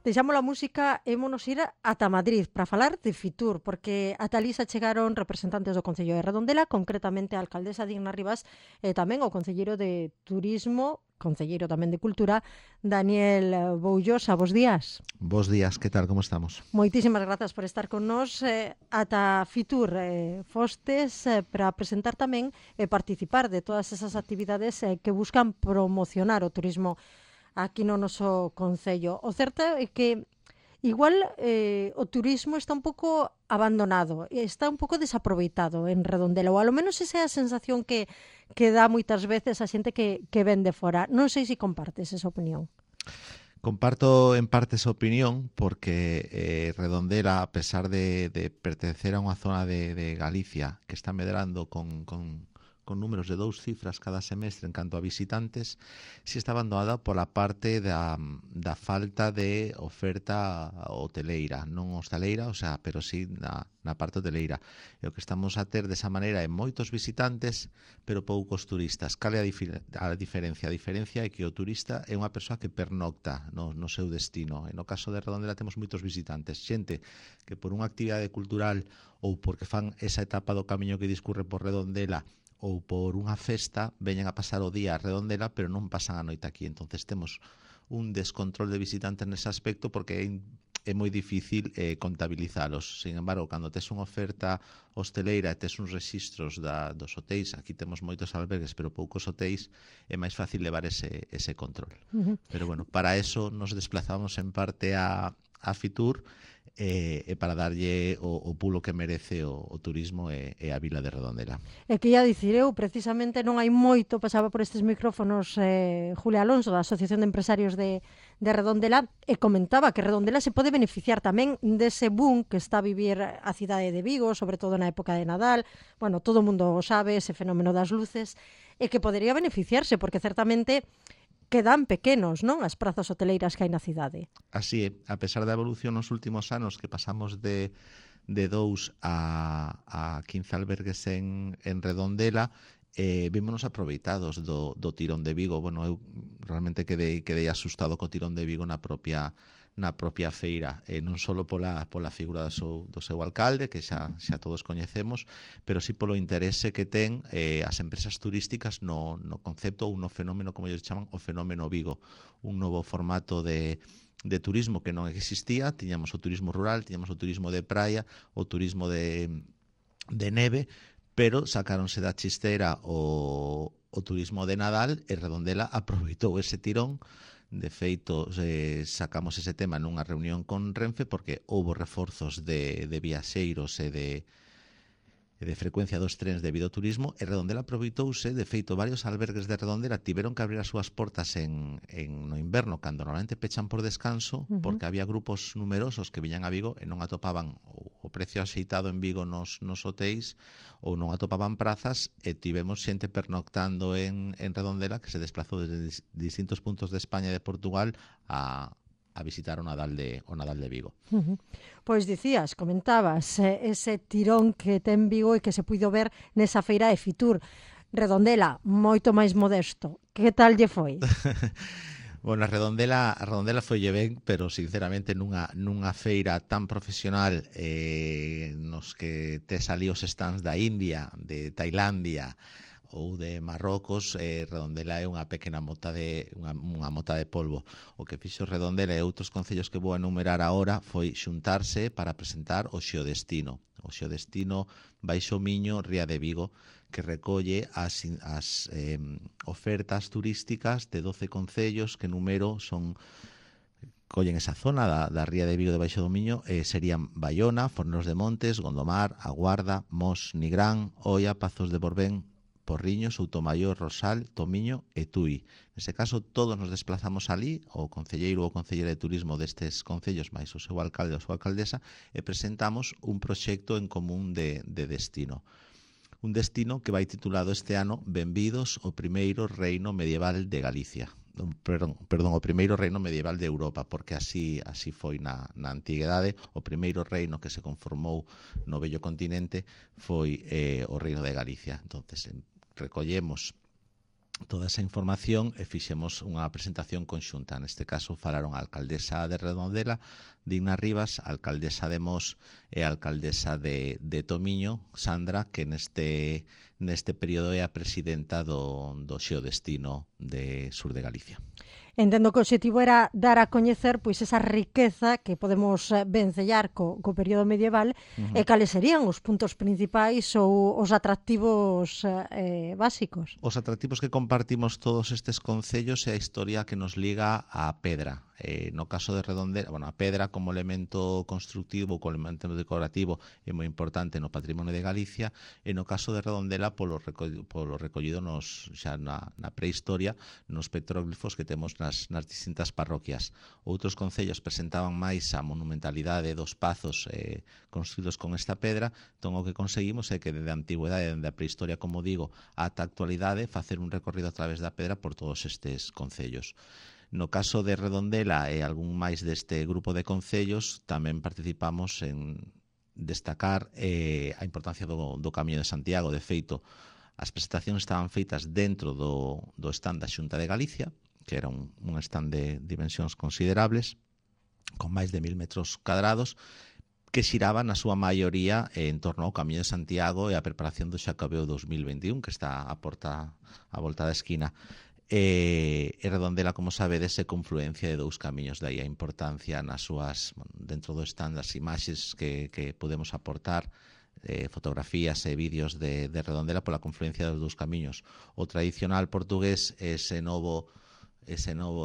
Deixamos a música e ímonos ir ata Madrid para falar de Fitur, porque ata ali se chegaron representantes do Concello de Redondela, concretamente a alcaldesa Digna Rivas e tamén o concelleiro de Turismo, concelleiro tamén de Cultura, Daniel Boullosa. Bos días. Bos días, que tal, como estamos? Moitísimas grazas por estar con nós ata Fitur. Fostes para presentar tamén e participar de todas esas actividades que buscan promocionar o turismo aquí no noso concello. O certo é que igual o turismo está un pouco abandonado, está un pouco desaproveitado en Redondela, ou alo menos esa é a sensación que dá moitas veces a xente que ven de fora. Non sei se compartes esa opinión. Comparto en parte esa opinión porque Redondela, a pesar de pertencer a unha zona de Galicia que está medrando con números de 2 cifras cada semestre en canto a visitantes, si está abandonada pola parte da falta de oferta hoteleira, non hostaleira, o sea, pero sí na parte hoteleira. E o que estamos a ter desa maneira é moitos visitantes, pero poucos turistas. Cal é a diferencia? A diferencia é que o turista é unha persoa que pernocta no seu destino. E no caso de Redondela temos moitos visitantes, xente que por unha actividade cultural ou porque fan esa etapa do camiño que discurre por Redondela ou por unha festa, veñen a pasar o día a Redondela, pero non pasan a noite aquí. Entonces temos un descontrol de visitantes nese aspecto porque é moi difícil contabilizalos. Sin embargo, cando tes unha oferta hosteleira e tes uns registros dos hotéis, aquí temos moitos albergues, pero poucos hotéis, é máis fácil levar ese control. Pero bueno, para eso nos desplazamos en parte a Fitur, e para darlle o pulo que merece o turismo e a vila de Redondela. E que ia dicir eu, precisamente non hai moito, pasaba por estes micrófonos Julia Alonso da Asociación de Empresarios de Redondela e comentaba que Redondela se pode beneficiar tamén dese boom que está a vivir a cidade de Vigo, sobre todo na época de Nadal. Bueno, todo o mundo sabe ese fenómeno das luces e que podería beneficiarse porque certamente quedan pequenos, non? As prazas hoteleiras que hai na cidade. Así é, a pesar da evolución nos últimos anos que pasamos de 2 a 15 albergues en Redondela, vímonos aproveitados do tirón de Vigo. Bueno, eu realmente quedei asustado co tirón de Vigo na propia feira, non só pola figura do seu alcalde, que xa todos coñecemos, pero sí polo interese que ten as empresas turísticas no concepto ou no fenómeno, como ellos chaman, o fenómeno Vigo, un novo formato de turismo que non existía. Tiñamos o turismo rural, tiñamos o turismo de praia, o turismo de neve, pero sacáronse da chistera o turismo de Nadal e Redondela aproveitou ese tirón. De feito, sacamos ese tema nunha reunión con Renfe porque houbo reforzos de viaxeiros e de frecuencia dos trens debido ao turismo, e Redondela aproveitouse. De feito, varios albergues de Redondela tiveron que abrir as súas portas no inverno, cando normalmente pechan por descanso, porque había grupos numerosos que viñan a Vigo e non atopaban o precio axeitado en Vigo nos hotéis, ou non atopaban prazas, e tivemos xente pernoctando en Redondela que se desplazou desde distintos puntos de España e de Portugal a visitar o Nadal de Vigo. Pois dicías, comentabas ese tirón que ten Vigo e que se puido ver nesa feira de Fitur. Redondela, moito máis modesto. Que tal lle foi? Bueno, a Redondela foille ben, pero sinceramente nunha feira tan profesional, nos que tes ali os stands da India, de Tailandia ou de Marrocos, Redondela é unha pequena mota de polvo. O que fixo Redondela e outros concellos que vou enumerar agora foi xuntarse para presentar o Xeodestino. O Xeodestino Baixo Miño, Ría de Vigo, que recolle as ofertas turísticas de 12 concellos que número collen esa zona da Ría de Vigo de Baixo do Miño, serían Baiona, Fornelos de Montes, Gondomar, A Guarda, Mos, Nigrán, Oia, Pazos de Borbén, Porriño, Soutomaior, Rosal, Tomiño e Tui. Nese caso, todos nos desplazamos ali, o concelleiro ou concelleira de turismo destes concellos, máis o seu alcalde ou a súa alcaldesa, e presentamos un proxecto en común de destino. Un destino que vai titulado este ano Benvidos ao primeiro reino medieval de Galicia. Perdón, o primeiro reino medieval de Europa, porque así foi na antiguidade. O primeiro reino que se conformou no vello continente foi o reino de Galicia. Entonces, recollemos toda esa información e fixemos unha presentación conxunta. Neste caso falaron a alcaldesa de Redondela, Digna Rivas, a alcaldesa de Mos e a alcaldesa de Tomiño, Sandra, que neste período é a presidenta do Xeodestino de Sur de Galicia. Entendo que o objetivo era dar a coñecer pois esa riqueza que podemos vencellar co período medieval e cales serían os puntos principais ou os atractivos básicos. Os atractivos que compartimos todos estes concellos é a historia que nos liga á pedra. No caso de Redondela, a pedra como elemento constructivo, como elemento decorativo é moi importante no patrimonio de Galicia, e no caso de Redondela polo recollido xa na prehistoria nos petróglifos que temos nas distintas parroquias. Outros concellos presentaban máis a monumentalidade dos pazos construídos con esta pedra, entón o que conseguimos é que desde a antigüedade, desde a prehistoria, como digo, ata a actualidade, facer un recorrido a través da pedra por todos estes concellos. No caso de Redondela e algún máis deste grupo de concellos, tamén participamos en destacar a importancia do Camiño de Santiago. De feito, as presentacións estaban feitas dentro do stand da Xunta de Galicia, que era un stand de dimensións considerables, con máis de 1000 metros cadrados, que xiraba na súa maioría en torno ao Camiño de Santiago e a preparación do Xacobeo 2021, que está a volta da esquina. E Redondela, como sabedes, é confluencia de dous camiños, de aí a importancia nas súas, dentro do stand, das imaxes que podemos aportar, fotografías e vídeos de Redondela pola confluencia dos dous camiños. O tradicional portugués é ese novo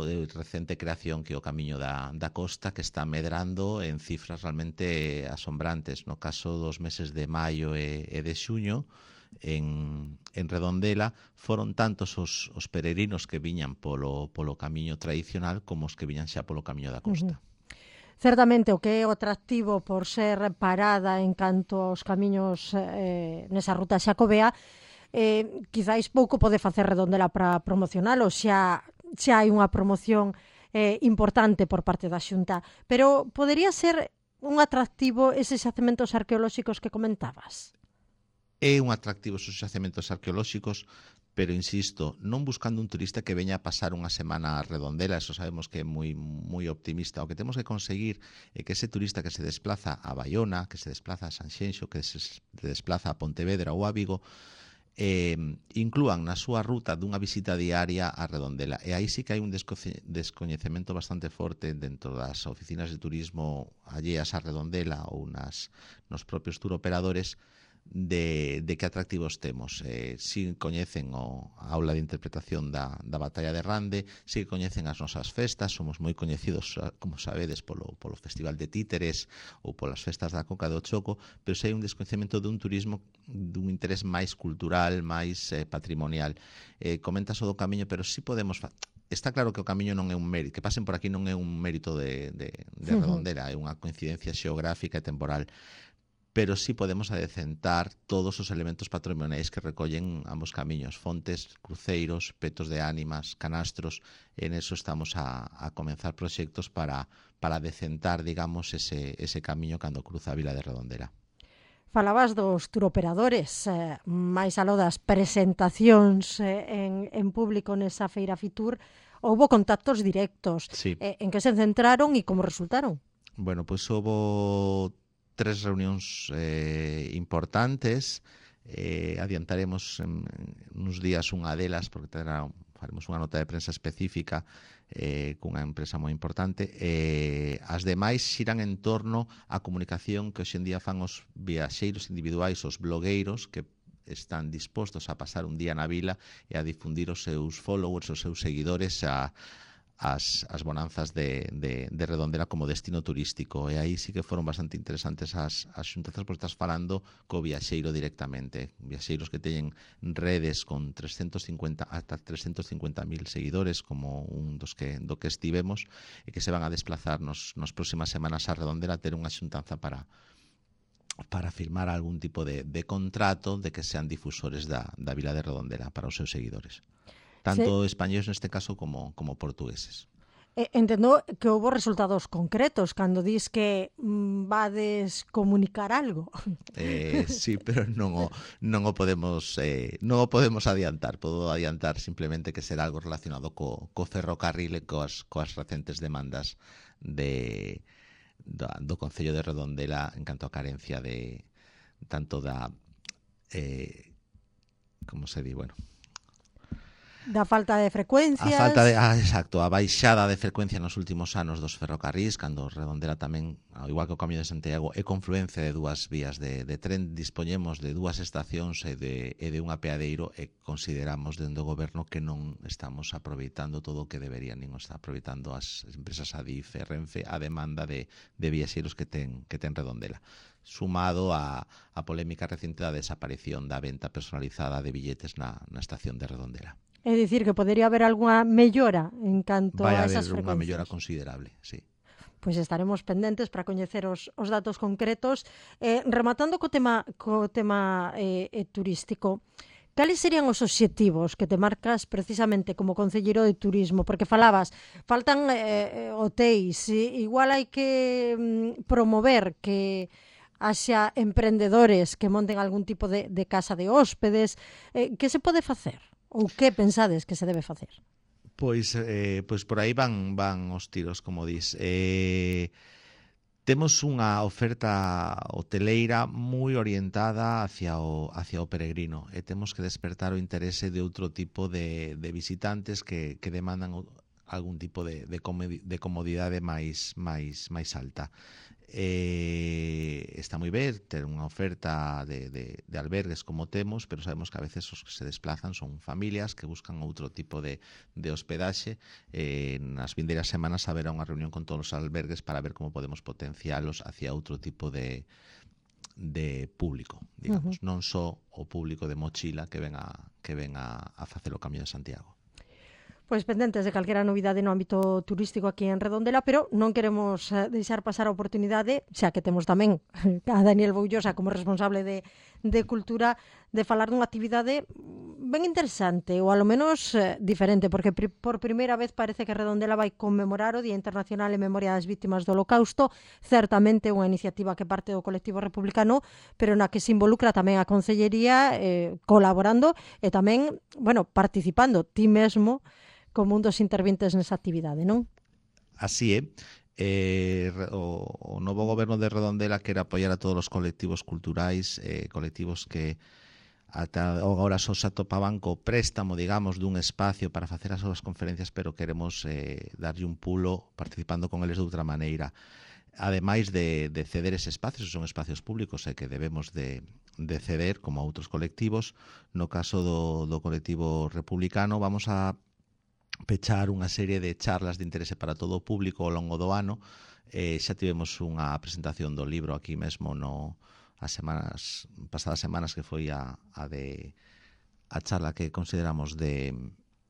de recente creación que é o Camiño da Costa, que está medrando en cifras realmente asombrantes. No caso dos meses de maio e de xuño, en Redondela foron tantos os peregrinos que viñan polo camiño tradicional como os que viñan xa polo Camiño da Costa. Certamente o que é o atractivo por ser parada en canto aos camiños nesa ruta xacobea, quizáis pouco pode facer Redondela para promocionalo, xa hai unha promoción importante por parte da Xunta, pero podería ser un atractivo eses xacementos arqueolóxicos que comentabas? É un atractivo esos xacementos arqueolóxicos, pero insisto, non buscando un turista que veña a pasar unha semana a Redondela, eso sabemos que é moi optimista. O que temos que conseguir é que ese turista que se desplaza a Baiona, que se desplaza a Sanxenxo, que se desplaza a Pontevedra ou a Vigo, inclúan na súa ruta dunha visita diaria a Redondela. E aí sí que hai un descoñecemento bastante forte dentro das oficinas de turismo alleas a Redondela ou nos propios turoperadores de que atractivos temos. Si coñecen a aula de interpretación da Batalla de Rande, si coñecen as nosas festas, somos moi coñecidos, como sabedes, polo Festival de Títeres ou polas festas da Coca do Choco, pero se hai un descoñecemento dun turismo dun interés máis cultural, máis patrimonial. Comentas o do camiño, pero si podemos... Está claro que o camiño non é un mérito, que pasen por aquí non é un mérito de Redondela, é unha coincidencia xeográfica e temporal, pero sí podemos adecentar todos os elementos patrimoniais que recollen ambos camiños, fontes, cruceiros, petos de ánimas, canastros. En eso estamos a comenzar proxectos para adecentar, digamos, ese camiño cando cruza a vila de Redondela. Falabas dos turoperadores, máis aló das presentacións en público nesa feira Fitur, houbo contactos directos. Sí. En que se centraron e como resultaron? Bueno, pois houbo 3 reunións importantes. Adiantaremos uns días unha delas porque faremos unha nota de prensa específica cunha empresa moi importante. As demais xiran en torno á comunicación que hoxe en día fan os viaxeiros individuais, os blogueiros, que están dispostos a pasar un día na vila e a difundir os seus followers, os seus seguidores as bonanzas de Redondela como destino turístico. E aí sí que foron bastante interesantes as xuntanzas, porque estás falando co viaxeiro directamente, viaxeiros que teñen redes con 350 ata 350.000 seguidores, como un do que estivemos, e que se van a desplazar nas próximas semanas a Redondela a ter unha xuntanza para firmar algún tipo de contrato de que sean difusores da vila de Redondela para os seus seguidores, tanto españoles neste caso como portugueses. Entendo que houve resultados concretos cando dis que vades comunicar algo. Sí, pero non o podemos adiantar. Podo adiantar simplemente que será algo relacionado co ferrocarril e coas recentes demandas do Concello de Redondela en canto a carencia de tanto da como se di, bueno, Da falta de frecuencias. Exacto, a baixada de frecuencia nos últimos anos dos ferrocarrís, cando Redondela tamén, ao igual que o Camiño de Santiago, é confluencia de dúas vías de tren, dispoñemos de dúas estacións e de un apeadeiro, e consideramos dende o goberno que non estamos aproveitando todo o que deberían, nin o está aproveitando as empresas Adif e Renfe a demanda de viaxeiros que ten Redondela, sumado a polémica recente da desaparición da venta personalizada de billetes na estación de Redondela. É dicir, que podería haber algunha mellora en canto a esas frecuencias. Vai haber unha mellora considerable, sí. Pois estaremos pendentes para coñecer os datos concretos. Rematando co tema turístico, cales serían os obxectivos que te marcas precisamente como concelleiro de turismo? Porque falabas, faltan hotéis, igual hai que promover que haxa emprendedores que monten algún tipo de casa de hóspedes. Que se pode facer? Ou que pensades que se debe facer? Pois por aí van os tiros, como dis. Temos unha oferta hoteleira moi orientada hacia o peregrino, e temos que despertar o interese de outro tipo de visitantes que demandan algún tipo de comodidade máis alta. Está moi ben ter unha oferta de albergues como temos, pero sabemos que a veces os que se desplazan son familias que buscan outro tipo de hospedaxe. Nas vindeiras semanas haberá unha reunión con todos os albergues para ver como podemos potencialos hacia outro tipo de público, digamos, non só o público de mochila que ven a facer o Camiño de Santiago. Pois pendentes de calquera novidade no ámbito turístico aquí en Redondela, pero non queremos deixar pasar a oportunidade, xa que temos tamén a Daniel Boullosa como responsable de Cultura, de falar dunha actividade ben interesante, ou alo menos diferente, porque por primeira vez parece que Redondela vai conmemorar o Día Internacional en Memoria das Vítimas do Holocausto, certamente unha iniciativa que parte do colectivo republicano, pero na que se involucra tamén a Concellería colaborando e tamén, participando ti mesmo como un dos intervintes nesa actividade, non? Así é. O novo goberno de Redondela quere apoiar a todos os colectivos culturais, colectivos que ata agora só se atopaban co préstamo, digamos, dun espacio para facer as súas conferencias, pero queremos darlle un pulo participando con eles de outra maneira. Ademais de ceder ese espacio, son espacios públicos e que debemos de ceder como a outros colectivos. No caso do colectivo republicano, vamos a pechar unha serie de charlas de interese para todo o público ao longo do ano. Xa tivemos unha presentación do libro aquí mesmo pasadas semanas, que foi a charla que consideramos de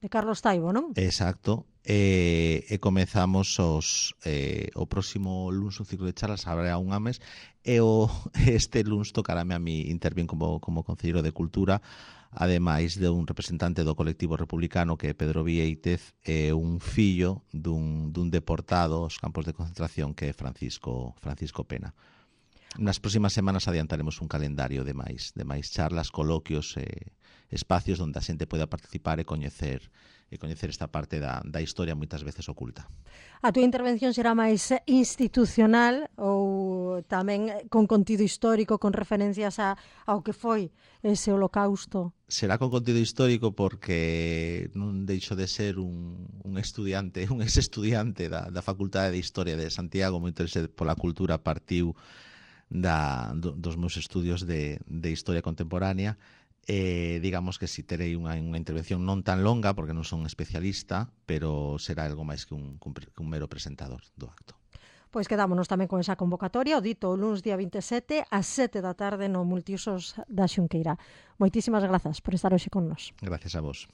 Carlos Taibo, non? Exacto. E comezamos o próximo luns un ciclo de charlas, habrá un mes, e este luns tocarame a mí intervir como concelleiro de Cultura, ademais de un representante do colectivo republicano que é Pedro Vieitez, e un fillo dun deportado aos campos de concentración que é Francisco Pena. Nas próximas semanas adiantaremos un calendario de máis charlas, coloquios e espacios onde a xente poida participar e coñecer esta parte da historia moitas veces oculta. A túa intervención será máis institucional ou tamén con contido histórico, con referencias ao que foi ese holocausto? Será con contido histórico porque non deixo de ser un ex-estudiante da Facultade de Historia de Santiago, moi interesado pola cultura, partiu dos meus estudios de historia contemporánea. Digamos que si terei unha intervención non tan longa, porque non son especialista, pero será algo máis que un mero presentador do acto. Pois quedámonos tamén con esa convocatoria, o dito o luns día 27 ás 7 da tarde no Multiusos da Xunqueira. Moitísimas grazas por estar hoxe con nós. Gracias a vos.